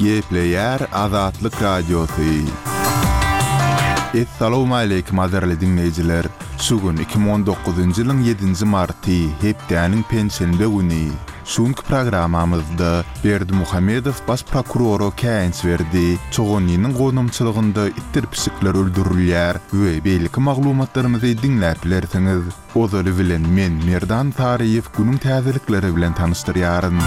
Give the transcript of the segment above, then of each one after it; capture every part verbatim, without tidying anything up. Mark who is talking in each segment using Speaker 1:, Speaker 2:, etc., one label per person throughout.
Speaker 1: Gepleýär Azatlyk Radiosy. Essalawmaleýkim gadyrly diňleýjiler! Şu gün iki müň on dokuzynjy ýylyň ýedinji marty, hepdäniň penşenbe güni. Şu günki programmamyzda Berdimuhamedow baş prokurora käýinç berdi, Çoganlynyň gonamçylygynda itdir pişikler öldürilýär we beýleki maglumatlarymyzy diňläp bilersiňiz. Ozaly bilen men Merdan Saryýew günüň täzelikleri bilen tanyşdyrýaryn.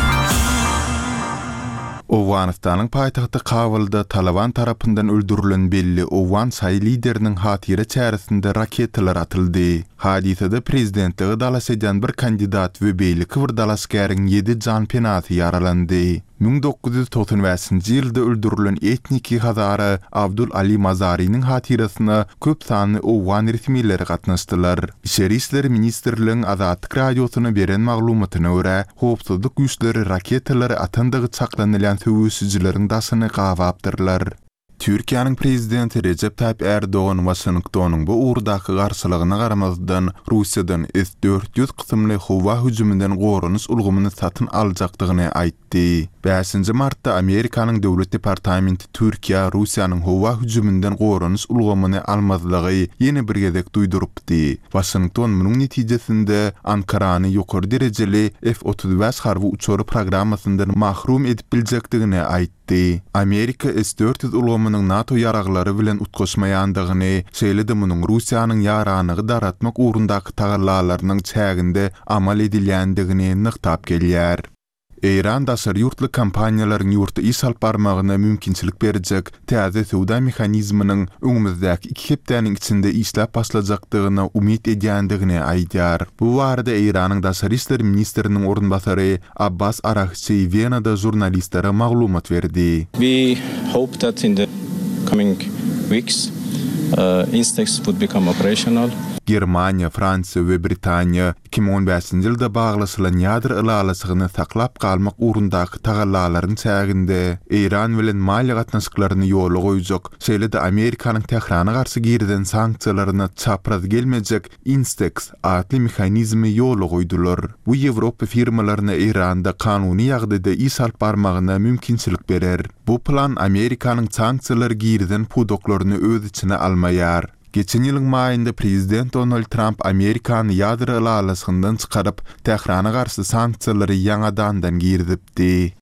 Speaker 1: Owganystanyň paýtagty Kabulda Taliban tarapyndan öldürilen belli owgan şaýy lideriniň hatyra çäresinde raketalar atyldy. Hadysada prezidentlige dalaş edýän bir kandidat we beýleki bir dalaşgäriň ýedi janpenasy ýaralandy. Müň dokuz ýüz togsan bäşinji ýylda öldürilen etniki hazara Abdul Ali Mazarynyň hatyrasyna köp sanly owgan resmileri gatnaşdylar. Içeri işler ministrligiň Azatlyk Radiosyna beren maglumatyna görä, howpsuzlyk güýçleri raketalary atandygy çaklanylýan söweşijileriň daşyny gabapdyrlar. Türkiýäniň prezidenti Rejep Taýyp Ärdogan Waşingtonyň bu ugurdaky garşylygyna garamazdan, Russiýadan S dört ýüz kysymly howa hüjüminden goranyş ulgamyny satyn aljakdygyny aýtdy. Bäşinji martda Amerikanyň Döwlet departamenti Türkiýä Russiýanyň howa hüjüminden goranyş ulgamyny almazlygy ýene bir gezek duýdurypdy. Waşington munuň netijesinde Ankarany ýokary derejeli F otuz bäş harby uçary programmasyndan mahrum edip biljekdigini aýtdy. Amerika S dört ýüz ulgamynyň NATO ýaraglary bilen utgaşmaýandygyny, şeýle-de munuň Russiýanyň ýaranygy daratmak ugrundaky tagallalarynyň çäginde amal edilýändigini nygtap gelýär. Eýran daşary ýurtly kompaniýalaryň ýurtda iş alyp barmagyna mümkinçilik berjek täze söwda mehanizminiň öňümizdäki iki hepdäniň içinde işläp başlajakdygyna umyt edýändigini aýdýar. Bu barada Eýranyň daşary işler ministriniň orunbasary Abbas Aragçi Wenada žurnalistlere maglumat berdi.
Speaker 2: We hope that in the coming weeks, uh, Instex would become operational.
Speaker 1: Germaniýa, Fransiýa we Britaniýa iki müň on bäşinji ýylda baglaşylan ýadro ylalaşygyny saklap galmak ugrundaky tagallalaryň çäginde Eýran bilen maliýe gatnaşyklaryny ýola goýjak, şeýle-de Amerikanyň Tährana garşy girizen sanksiýalaryna çapraz gelmejek Instex atly mehanizmi ýola goýdular. Bu Ýewropa firmalaryna Eýranda kanuny ýagdaýda iş alyp barmagyna mümkinçilik berer. Bu plan Amerikanyň sanksiýalary girizen pudaklaryny öz içine almaýar. Geçen ýylyň maýynda prezident Donald Trump Amerikany ýadro ylalaşygyndan çykaryp, Tährana garşy sanksiýalary ýaňadandan girizipdi.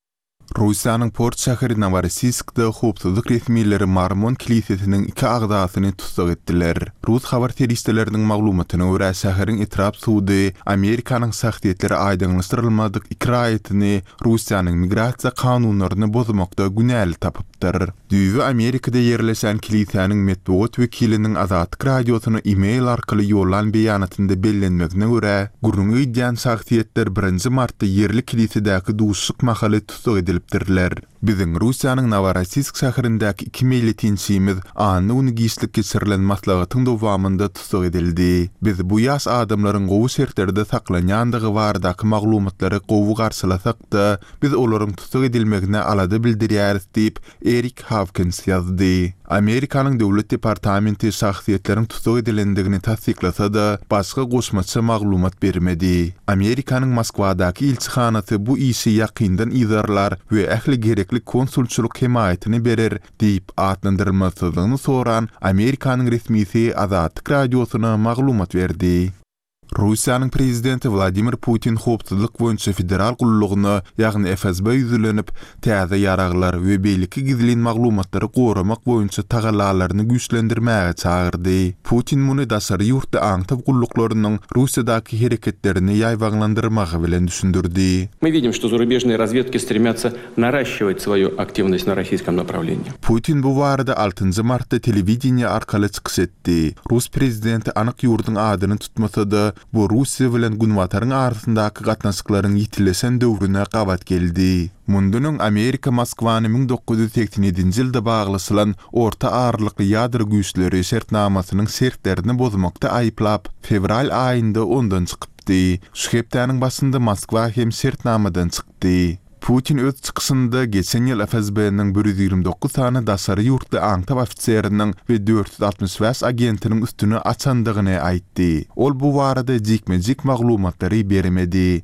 Speaker 1: Russiýanyň port şäheri Noworossiyskda howpsuzlyk resmileri Mormon kilisesiniň iki agzasyny tussag etdiler. Rus habar serişdeleriniň maglumatyna görä, şäheriň etrap sudy Amerikanyň şahsyýetleri aýdyňlaşdyrylmadyk iki raýatyny Russiýanyň migrasiýa kanunlaryny bozmakda günäli tapypdyr. Düýbi Amerikada ýerleşen kilisäniň metbugat wekiliniň Azatlyk Radiosyna e-mail arkaly ýollan beýanatynda bellenmegine görä, gürrüňi gidýän şahsyýetler birinji martda ýerli kilisedäki duşuşyk mahaly tussag edilipdirler. Biziň Russiýanyň Noworossiysk şäherindäki iki meýletinçimiz anna güni giçlik geçirilen maslahatyň dowamynda tussag edildi. Biz bu ýaş adamlaryň gowy şertlerde saklanýandygy baradaky maglumatlary gowy garşylasak-da, biz olaryň tussag edilmegine alada bildirýäris diýip, Erik Hawkins ýazdy. Amerikanyň Döwlet departamenti şahsyýetleriň tussag edilendigini tassyklasa-da, başga goşmaça maglumat bermedi. Amerikanyň Moskwadaky ilçihanasy bu işi ýakyndan yzarlar we ähli gerekli konsulçylyk hemaýatyny berer diýip atlandyrylmasyzlygyny soran Amerikanyň resmisi Azatlyk Radiosyna maglumat berdi. Russiýanyň prezidenti Wladimir Putin howpsuzlyk boýunça federal gullugyna, ýagny F S B ýüzlenip, täze ýaraglar we beýleki gizlin maglumatlary goramak boýunça tagallalaryny güýçlendirmäge çagyrdy. Putin muny daşary ýurtly aňtaw gulluklarynyň Russiýadaky hereketlerini ýaýbaňlandyrmagy bilen düşündirdi.
Speaker 3: Мы видим, что зарубежные разведки стремятся наращивать свою активность на российском направлении.
Speaker 1: Putin bu barada altynjy martda telewideniýe arkaly çykyş etdi. Rus prezidenti anyk ýurduň adyny tutmasa-da, bu Russiýa bilen Günbataryň arasyndaky gatnaşyklaryň ýitileşen döwrüne gabat geldi. Mundan öň Amerika Moskwany müň dokuz ýüz seksen ýedinji ýylda baglaşylan orta aralykly ýadro güýçleri şertnamasynyň şertlerini bozmakda aýyplap, fewral aýynda ondan çykypdy. Şu hepdäniň başynda Moskwa hem şertnamadan çykdy. Putin öz çykyşynda geçen ýyl F S B-niň bir ýüz ýigrimi dokuz sany daşary ýurtly aňtaw ofiseriniň we dört ýüz altmyş bäş agentiniň üstüni açandygyny aýtdy. Ol bu barada jikme-jik maglumatlary bermedi.